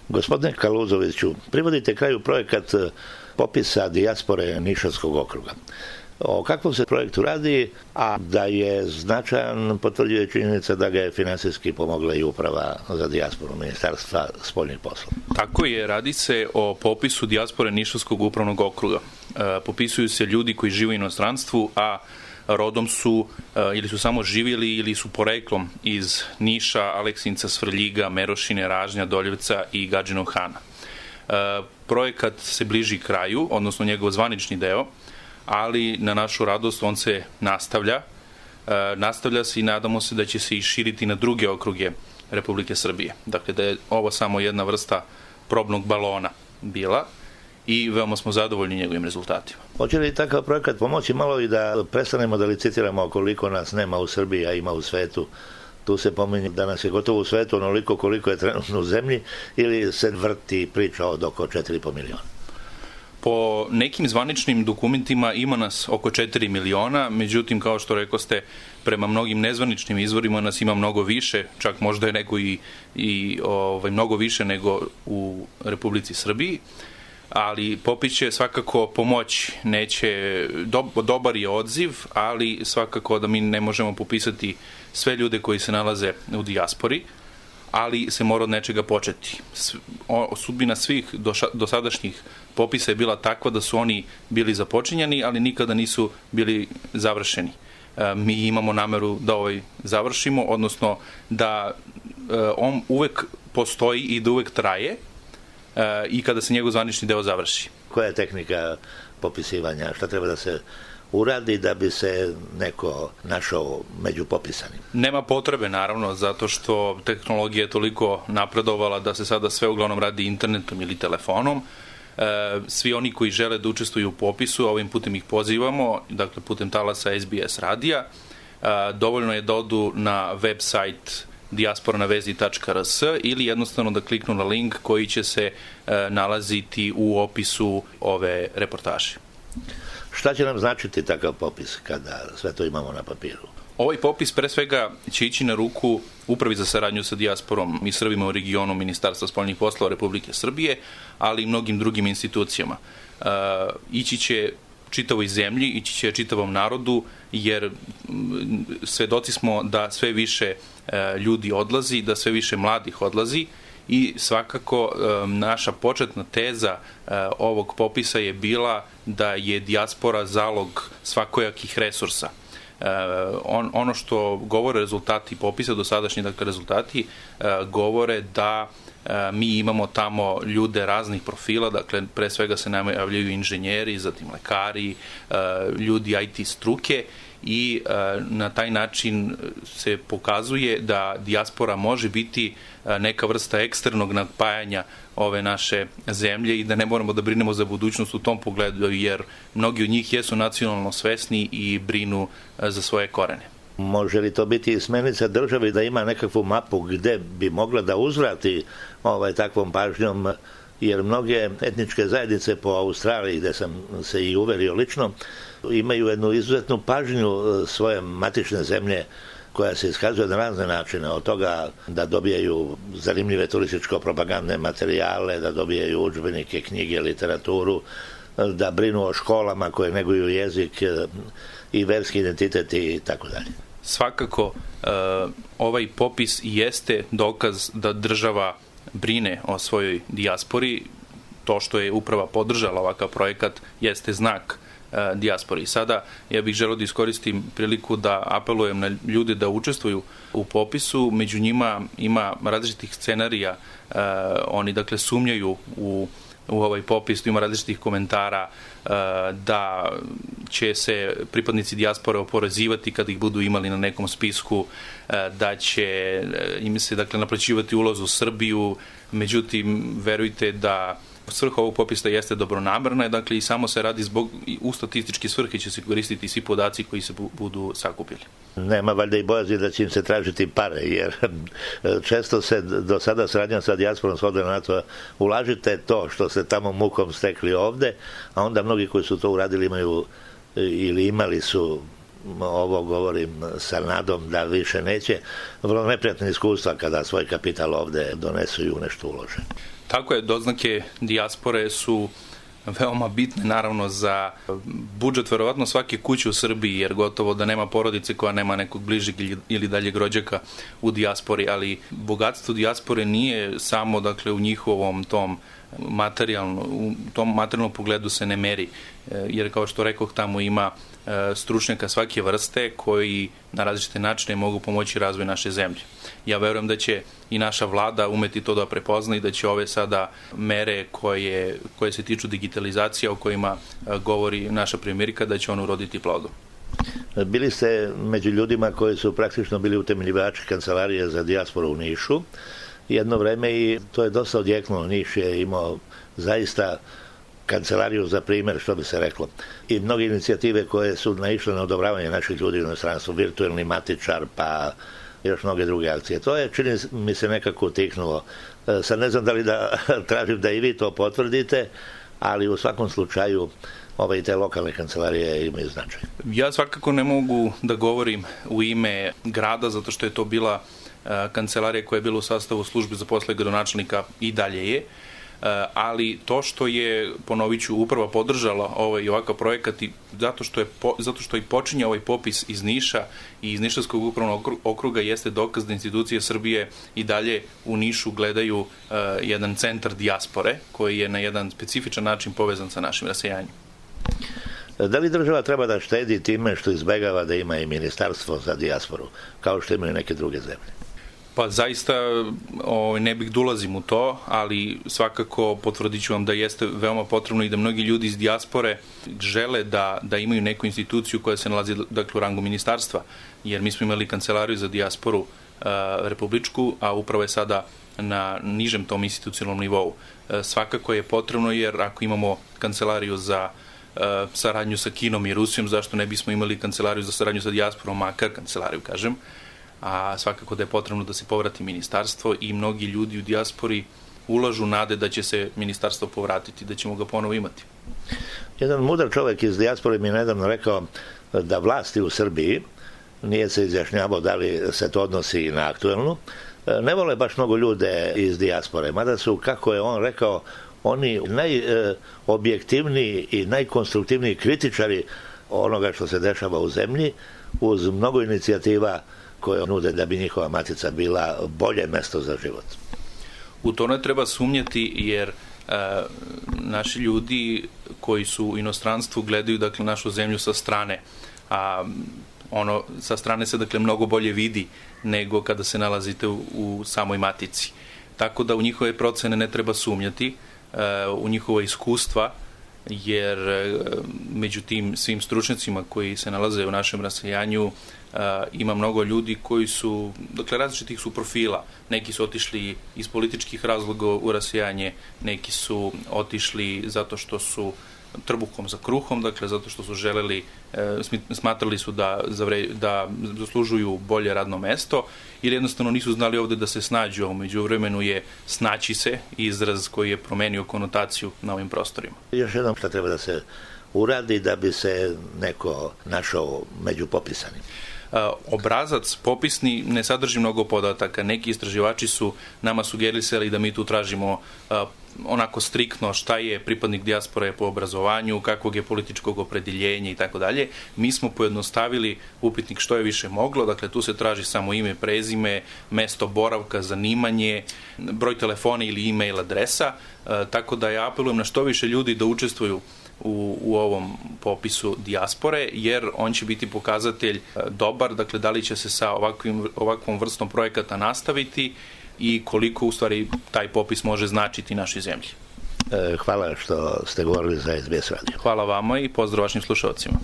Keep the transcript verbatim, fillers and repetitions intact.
Gospodine Kaluzoviću, privodite kraju projekat popisa dijaspore Nišavskog okruga. O kakvom se projektu radi, a da je značajan potvrđuje činjenica da ga je finansijski pomogla i uprava za dijasporu Ministarstva spoljnih poslova. Tako je, radi se o popisu dijaspore Nišavskog upravnog okruga. E, popisuju se ljudi koji žive u inostranstvu, a rodom su e, ili su samo živjeli ili su poreklom iz Niša, Aleksinca, Svrljiga, Merošine, Ražnja, Doljevca i Gadžinog Hana. E, projekat se bliži kraju, odnosno njegov zvanični deo, ali na našu radost on se nastavlja. E, nastavlja se i nadamo se da će se i širiti na druge okruge Republike Srbije. Dakle, da je ovo samo jedna vrsta probnog balona bila i veoma smo zadovoljni njegovim rezultatima. Hoće li takav projekat pomoći malo i da prestanemo da licitiramo koliko nas nema u Srbiji, a ima u svetu? Tu se pominje da nas je gotovo u svetu onoliko koliko je trenutno u zemlji, ili se vrti priča od oko četiri i po miliona? Po nekim zvaničnim dokumentima ima nas oko četiri miliona, međutim, kao što rekoste, prema mnogim nezvaničnim izvorima nas ima mnogo više, čak možda je nego i, i ovaj, mnogo više nego u Republici Srbiji, ali popis će svakako pomoći. Neće, do, dobar je odziv, ali svakako da mi ne možemo popisati sve ljude koji se nalaze u dijaspori, ali se mora od nečega početi. Sudbina svih dosadašnjih popisa je bila takva da su oni bili započinjani, ali nikada nisu bili završeni. Mi imamo nameru da ovaj završimo, odnosno da on uvek postoji i da uvek traje i kada se njegov zvanični deo završi. Koja je tehnika popisivanja? Šta treba da se uradi da bi se neko našao među popisanim? Nema potrebe, naravno, zato što tehnologija je toliko napredovala da se sada sve uglavnom radi internetom ili telefonom. E, svi oni koji žele da učestvuju u popisu, ovim putem ih pozivamo, dakle putem talasa S B S radija. E, dovoljno je da odu na web sajt dijaspora na vezi tačka r s ili jednostavno da kliknu na link koji će se e, nalaziti u opisu ove reportaže. Šta će nam značiti takav popis kada sve to imamo na papiru? Ovaj popis pre svega će ići na ruku Upravi za saradnju sa dijasporom i Srbima u regionu Ministarstva spoljnih poslova Republike Srbije, ali i mnogim drugim institucijama. E, ići će čitavoj zemlji, ići će čitavom narodu, jer svedoci smo da sve više e, ljudi odlazi, da sve više mladih odlazi i svakako e, naša početna teza e, ovog popisa je bila da je dijaspora zalog svakojakih resursa. E, on, ono što govore rezultati popisa, dosadašnji dakle, rezultati, e, govore da e, mi imamo tamo ljude raznih profila, dakle pre svega se nama javljaju inženjeri, zatim lekari, e, ljudi I T struke i e, na taj način se pokazuje da dijaspora može biti e, neka vrsta eksternog napajanja ove naše zemlje i da ne moramo da brinemo za budućnost u tom pogledu, jer mnogi od njih jesu nacionalno svesni i brinu e, za svoje korene. Može li to biti smernica državi da ima nekakvu mapu gde bi mogla da uzvrati ovaj, takvom pažnjom, jer mnoge etničke zajednice po Australiji, gde sam se i uverio lično, imaju jednu izuzetnu pažnju svoje matične zemlje koja se iskazuje na razne načine, od toga da dobijaju zanimljive turističko-propagandne materijale, da dobijaju udžbenike, knjige, literaturu, da brinu o školama koje neguju jezik i verski identitet i tako dalje. Svakako, ovaj popis jeste dokaz da država brine o svojoj dijaspori. To što je uprava podržala ovakav projekat jeste znak dijaspori. Sada ja bih želeo da iskoristim priliku da apelujem na ljude da učestvuju u popisu. Među njima ima različitih scenarija. Oni dakle sumnjaju u u ovaj popis, ima različitih komentara da će se pripadnici dijaspore oporezivati kad ih budu imali na nekom spisku, da će im se dakle naplaćivati ulaz u Srbiju, međutim verujte da svrha ovog popisa jeste dobronamerna, dakle i samo se radi zbog, u statističke svrhe će se koristiti svi podaci koji se budu sakupili. Nema valjda i bojazni da će im se tražiti pare, jer često se do sada saradnja sa dijasporom shodila na to, ulažite to što ste tamo mukom stekli ovde, a onda mnogi koji su to uradili imaju ili imali su, ovo govorim sa nadom da više neće, vrlo neprijatne iskustva kada svoj kapital ovde donesu i u nešto ulože. Tako je, doznake dijaspore su veoma bitne naravno za budžet verovatno svake kuće u Srbiji, jer gotovo da nema porodice koja nema nekog bližeg ili daljeg rođaka u dijaspori, ali bogatstvo dijaspore nije samo dakle u njihovom tom materijalno, u tom materijalnom pogledu se ne meri, jer kao što rekoh tamo ima stručnjaka svake vrste koji na različite načine mogu pomoći razvoj naše zemlje. Ja verujem da će i naša vlada umeti to da prepozna i da će ove sada mere koje, koje se tiču digitalizacije o kojima govori naša premijerka, da će on uroditi plodom. Bili ste među ljudima koji su praktično bili utemeljivači kancelarije za dijasporu u Nišu jedno vreme i to je dosta odjeknulo. Niš je imao zaista kancelariju za primjer, što bi se reklo. I mnoge inicijative koje su naišle na odobravanje naših ljudi u inostranstvu, virtualni matičar, pa još mnoge druge akcije. To je, čini mi se, nekako utiknulo. Sad ne znam da li da tražim da i vi to potvrdite, ali u svakom slučaju ove i te lokalne kancelarije imaju značaj. Ja svakako ne mogu da govorim u ime grada, zato što je to bila kancelarija koja je bila u sastavu službe za posle gradonačelnika i dalje je, ali to što je, ponovit ću, uprava podržala ovaj i ovakav projekat i zato što je zato što i počinje ovaj popis iz Niša i iz Nišavskog upravnog okruga jeste dokaz da institucije Srbije i dalje u Nišu gledaju uh, jedan centar dijaspore koji je na jedan specifičan način povezan sa našim rasejanjem. Da li država treba da štedi time što izbegava da ima i ministarstvo za dijasporu, kao što imaju neke druge zemlje? Pa zaista o, ne bih da ulazim u to, ali svakako potvrdit ću vam da jeste veoma potrebno i da mnogi ljudi iz dijaspore žele da, da imaju neku instituciju koja se nalazi dakle, u rangu ministarstva, jer mi smo imali kancelariju za dijasporu a, republičku, a upravo je sada na nižem tom institucionalnom nivou. A, svakako je potrebno jer ako imamo kancelariju za a, saradnju sa Kinom i Rusijom, zašto ne bismo imali kancelariju za saradnju sa dijasporom, makar kancelariju, kažem, a svakako da je potrebno da se povrati ministarstvo i mnogi ljudi u dijaspori ulažu nade da će se ministarstvo povratiti, da ćemo ga ponovo imati. Jedan mudar čovjek iz dijaspore mi je nedavno rekao da vlasti u Srbiji, nije se izjašnjavao da li se to odnosi i na aktuelnu, ne vole baš mnogo ljude iz dijaspore, mada su, kako je on rekao, oni najobjektivniji i najkonstruktivniji kritičari onoga što se dešava u zemlji, uz mnogo inicijativa koje nude da bi njihova matica bila bolje mesto za život. U to ne treba sumnjati jer e, naši ljudi koji su u inostranstvu gledaju dakle našu zemlju sa strane, a ono sa strane se dakle mnogo bolje vidi nego kada se nalazite u, u samoj matici. Tako da u njihove procene ne treba sumnjati, e, u njihova iskustva, jer e, među tim svim stručnjacima koji se nalaze u našem rasejanju Uh, ima mnogo ljudi koji su, dakle, različitih su profila. Neki su otišli iz političkih razloga u rasejanje, neki su otišli zato što su trbuhom za kruhom, dakle, zato što su želeli, e, smatrali su da, zavre, da zaslužuju bolje radno mesto, ili jednostavno nisu znali ovde da se snađu, a umeđu vremenu je snaći se izraz koji je promenio konotaciju na ovim prostorima. Još jednom, šta treba da se uradi da bi se neko našao među popisanim? Obrazac popisni ne sadrži mnogo podataka. Neki istraživači su nama sugerisali da mi tu tražimo onako striktno šta je pripadnik dijaspore po obrazovanju, kakvog je političkog opredeljenja i tako dalje. Mi smo pojednostavili upitnik što je više moglo, dakle tu se traži samo ime, prezime, mesto boravka, zanimanje, broj telefona ili e-mail adresa, tako da ja apelujem na što više ljudi da učestvuju U, u ovom popisu dijaspore, jer on će biti pokazatelj dobar, dakle da li će se sa ovakvim, ovakvom vrstom projekata nastaviti i koliko u stvari taj popis može značiti našoj zemlji. Hvala što ste govorili za S B S radio. Hvala vama i pozdrav vašim slušalcima.